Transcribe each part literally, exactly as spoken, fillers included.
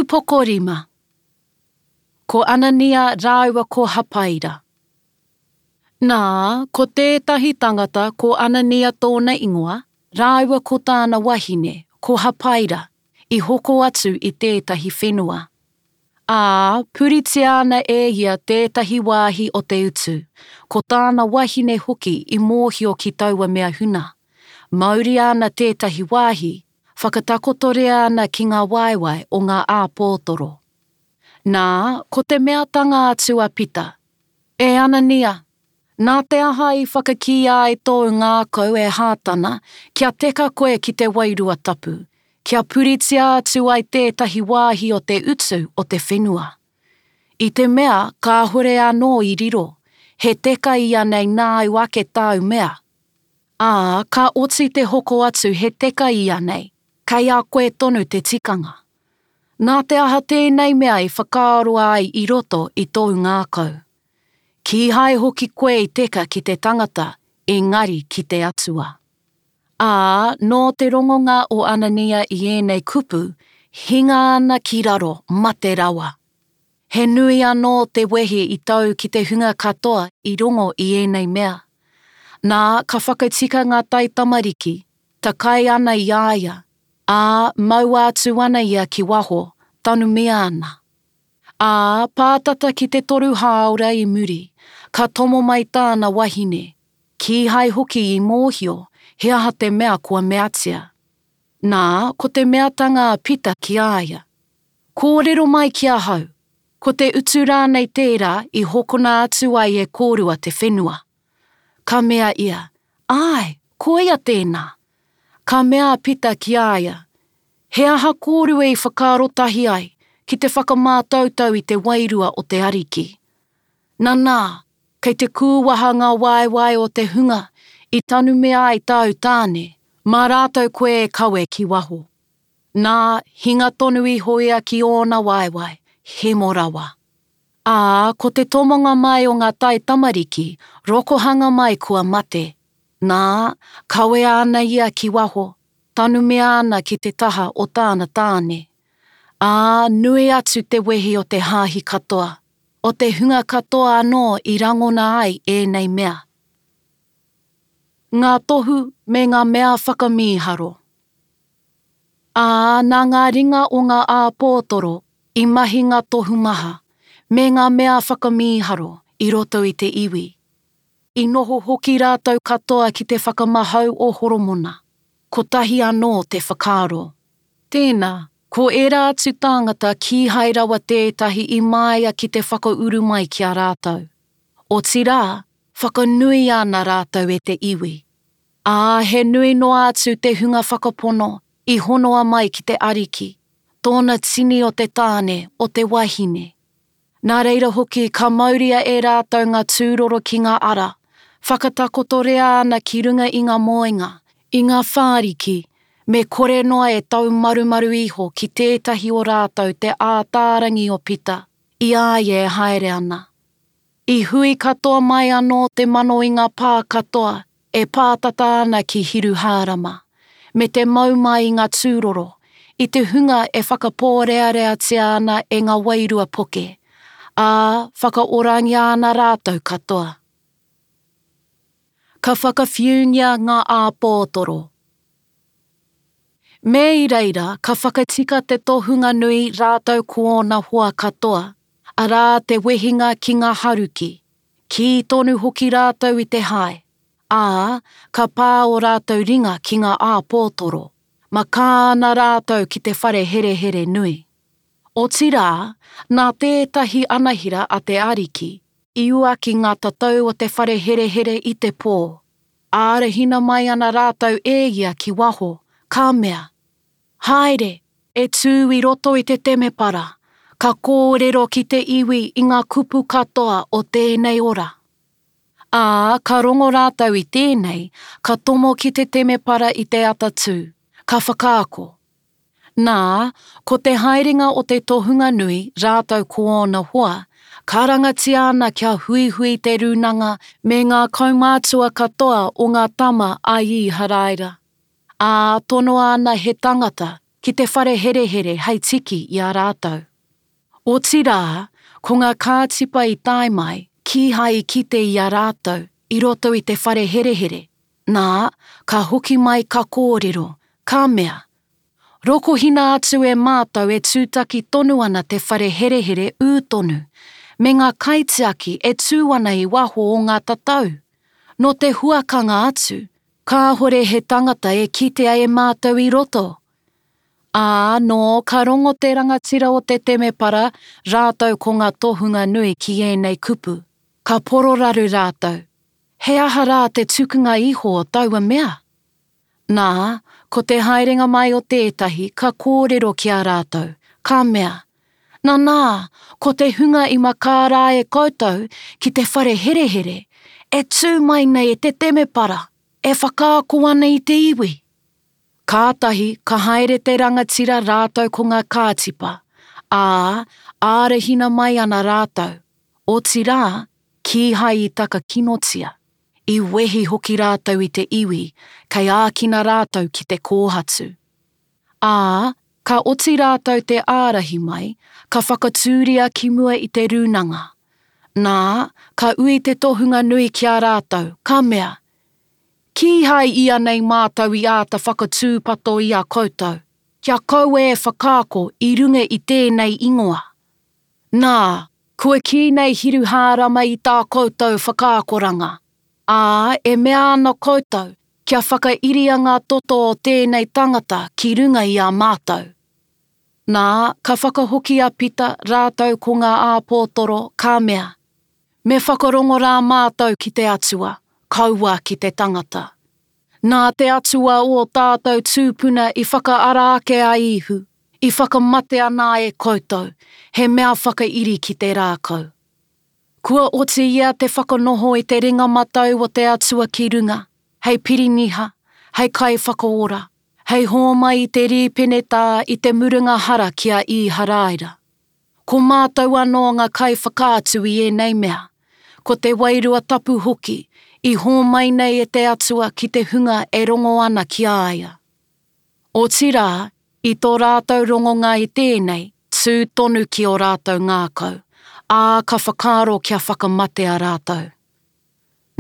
Ūpoko rima. Ko Anania rāua ko Hapaira. Nā, ko tētahi tangata ko Anania tōna ingoa, rāua ko tāna wahine, ko Hapaira, i hoko atu i tētahi whenua. Ā, puritia ana e ia tētahi wāhi o te utu, ko tāna wahine hoki i mōhio ki taua mea huna. Mauria ana tētahi wāhi, whakatakotoria ana ki ngā waewae o ngā āpōtoro. Nā, ko te meatanga atu a Pita, E Anania, nā te aha i whakakīia ai tōu ngākau e Hātana kia teka koe ki te Wairua Tapu, kia puritia atu ai tētahi wāhi o te utu o te whenua? I te mea kāhore anō i riro, he teka ianei nāu ake tāu mea? Ā, ka oti te hoko atu he teka ianei, kei a koe tonu te tikanga. Nā te aha tēnei mea i whakaaroa ai i roto i tōu ngākau? Kīhai hoki koe i teka ki te tangata, engari ki te Atua. Ā, nō te rongonga o Anania i ēnei kupu, hinga ana ki raro, mate rawa. He nui anō te wehi i tau ki te hunga katoa i rongo i ēnei mea. Nā, ka whakatika ngā taitamariki, takai ana i a ia, ā, maua atu ana ia ki waho, tanumia ana. Ā, pātata ki te toru hāora i muri, ka tomo mai tāna wahine, kīhai hoki i mōhio he aha te mea kua meatia. Nā, ko te meatanga a Pita ki a ia, Kōrero mai ki ahau, ko te utu rānei tērā i hokona atu ai e kōrua te whenua? Ka mea ia, Āe, koia tēnā. Ka mea a Pita ki a ia, He aha kōrua i whakaaro tahi ai ki te whakamātautau i te wairua o te Ariki? Nanā, kei te kūwaha ngā waewae o te hunga i tanumia ai tāu tāne, mā rātou koe e kawe ki waho. Nā, hinga tonu iho ia ki ōna waewae, hemo rawa. Ā, ko te tomonga mai o ngā taitamariki, rokohanga mai kua mate. Nā, kawea ana ia ki waho, tanumia ana ki te taha o tāna tāne. Ā, nui atu te wehi o te hāhi katoa, o te hunga katoa anō i rangona ai ēnei mea. Ngā tohu me ngā mea whakamīharo. Ā, nā ngā ringa o ngā āpōtoro i mahi ngā tohu maha, me ngā mea whakamīharo i roto i te iwi. I noho hoki rātou katoa ki te whakamahau o Horomona, kotahi anō te whakaaro. Tēnā, ko ērā atu tāngata kīhai rawa tētahi i māia ki te whakauru mai ki a rātou. Otirā, whakanuia ana rātou e te iwi. Ā, he nui noa atu te hunga whakapono i honoa mai ki te Ariki, tōna tini o te tāne, o te wahine. Nā reira hoki ka mauria e rātou ngā tūroro ki ngā ara, whakatakotoria ana ki runga i ngā moenga, i ngā whāriki, me kore noa e taumarumaru iho ki tētahi o rātou te ātārangi o Pita, i a ia e haere ana. I hui katoa mai anō te mano i ngā pā katoa e pātata ana ki Hiruhārama, me te mau mai i ngā tūroro, i te hunga e whakapōreareatia ana e ngā wairua poke, ā, whakaorangia ana rātou katoa. Ka whakawhiungia ngā āpōtoro. Me i reira ka whakatika te tohunga nui rātou ko ōna hoa katoa, arā te wehinga ki ngā haruki, kī tonu hoki rātou i te hae, ā, ka pā ō rātou ringa ki ngā āpōtoro, makā ana rātou ki te whare herehere nui. Otirā, nā tētahi anahera a te Ariki i uaki ngā tatau o te whare herehere i te pō, ārahina mai ana rātou e ia ki waho, ka mea, Haere, e tū i roto i te temepara, ka kōrero ki te iwi i ngā kupu katoa o tēnei ora. Ā, ka rongo rātou i tēnei, ka tomo ki te temepara i te atatū, ka whakaako. Nā, ko te haerenga o te tohunga nui rātou ko ōna hoa, karangatia ana kia huihui te rūnanga me ngā kaumātua katoa o ngā tama a Īharaira. Ā, tonoa ana he tangata, ki te whare herehere hei tiki i a rātou. Otirā, ko ngā kātipa i tae mai, kīhai i kite i a rātou i roto i te whare herehere, nā, ka hoki mai ka kōrero, ka mea, Rokohina atu e mātou e tūtaki tonu ana te whare herehere ū tonu, me ngā kaitiaki e tū ana i waho o ngā tatau. Nō te huakanga atu, kāhore he tangata e kitea e mātou i roto. Ā, nō ka rongo te rangatira o te temepara rātou ko ngā tohunga nui ki ēnei kupu, ka pororaru rātou, He aha rā te tukunga iho o taua mea? Nā, ko te haerenga mai o tētahi ka kōrero ki a rātou, ka mea, Nanā, ko te hunga i makā rā e koutou ki te whare herehere, e tū mai nei e te temepara, e whakaako ana i te iwi. Kātahi ka haere te rangatira rātou ko ngā kātipa, ā, ārahina mai ana rātou, otirā, kīhai i takakinotia. I wehi hoki rātou i te iwi, kei ākina rātou ki te kōhatu. Ā, ka oti rātou te ārahi mai, ka whakatūria ki mua i te rūnanga. Nā, ka ui te tohunga nui ki a rātou, ka mea, Kīhai ianei mātou i āta whakatūpato i a koutou, kia kaua e whakaako i runga i tēnei ingoa? Nā, kua kī nei Hiruhārama i tā koutou whakaakoranga, ā, e mea ana koutou kia whakairia ngā toto o tēnei tangata ki runga i a mātou. Nā, ka whakahoki a Pita rātou ko ngā āpōtoro, ka mea, Me whakarongo rā mātou ki te Atua, kaua ki te tangata. Nā te Atua ō tātou tūpuna i whakaara ake a Īhu, i whakamatea nā e koutou, he mea whakairi ki te rākau. Kua oti ia te whakanoho i te ringa matau o te Atua ki runga, hei piriniha, hei kaiwhakaora, hei hōmai i te rīpenetā i te murunga hara ki a Īharaira. Ko mātou anō ngā kaiwhakaatu i ēnei mea, ko te Wairua Tapu hoki, i hōmai nei e te Atua ki te hunga e rongo ana ki a ia. Otirā, i tō rātou rongonga i tēnei, tū tonu ki ō rātou ngākau, ā, ka whakaaro kia whakamatea rātou.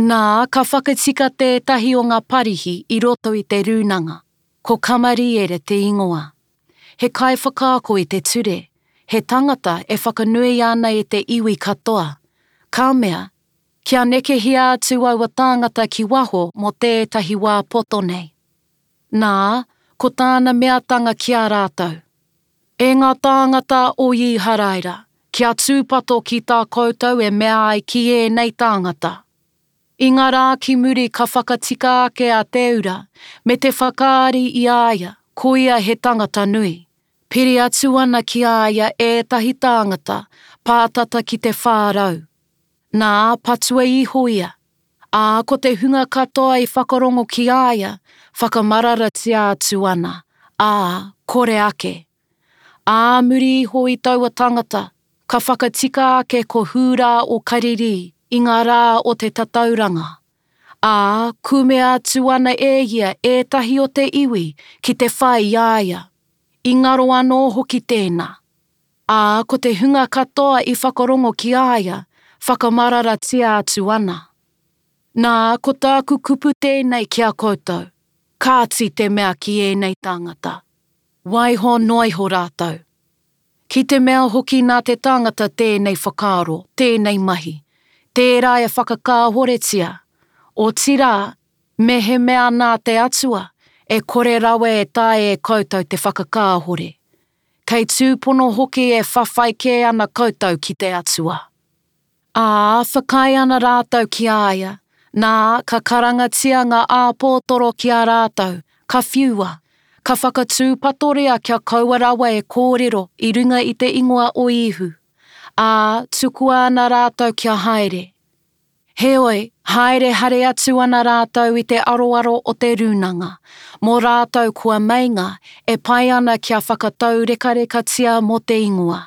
Nā, ka whakatika tētahi o ngā Parihi i roto i te rūnanga, ko Kamariere te ingoa. He kaiwhakaako i te ture, he tangata e whakanuia ana e te iwi katoa, ka mea, kia nekehia atu aua tāngata ki waho mō tētahi wā poto nei. Nā, ko tāna meatanga ki a rātou, E ngā tāngata o Īharaira, kia tūpato ki tā koutou e mea ai ki ēnei tāngata. I ngā rā ki muri ka whakatika ake a Teura me te whakaari i a ia, ko ia he tangata nui. Piri atu ana ki a ia ētahi tāngata, pātata ki te whā rau. Nā, patua iho ia. Ā, ko te hunga katoa i whakarongo ki a ia, whakamararatia atu ana, ā, kore ake. Ā muri iho i taua tangata, ka whakatika ake ko Hūrā o Karirī i ngā rā o te tatauranga. Ā, kumea atu ana e ia ētahi o te iwi ki te whai i a ia. I ngaro anō hoki tēnā. Ā, ko te hunga katoa i whakarongo ki a ia, whakamararatia atu ana. Nā, ko tāku kupu tēnei ki a koutou, kāti te mea ki ēnei tāngata. Waiho noa iho rātou. Ki te mea hoki nā te tangata tēnei whakaaro, tēnei mahi, tērā e whakakāhoretia, otirā, mehemea nā te Atua, e kore rawa e taea e koutou te whakakāhore. Kei tūpono hoki e whawhai kē ana koutou ki te Atua. Ā, whakaae ana rātou ki a ia, nā, ka karangatia ngā āpōtoro ki a rātou, ka whiua, ka whakatūpatoria kia kaua rawa e kōrero i runga i te ingoa o Īhu, ā, tukua ana rātou kia haere. Heoi, haere haere atu ana rātou i te aroaro o te rūnanga, mō rātou kua meinga e pai ana kia whakataurekarekatia mō te ingoa.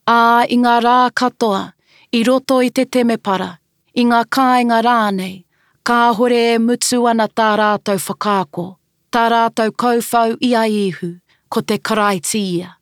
Ā, i ngā rā katoa, i roto i te temepara, i ngā kāinga rānei, kāhore e mutu ana tā rātou whakaako, tā rātou kauwhau i a Īhu, ko te Karaiti ia.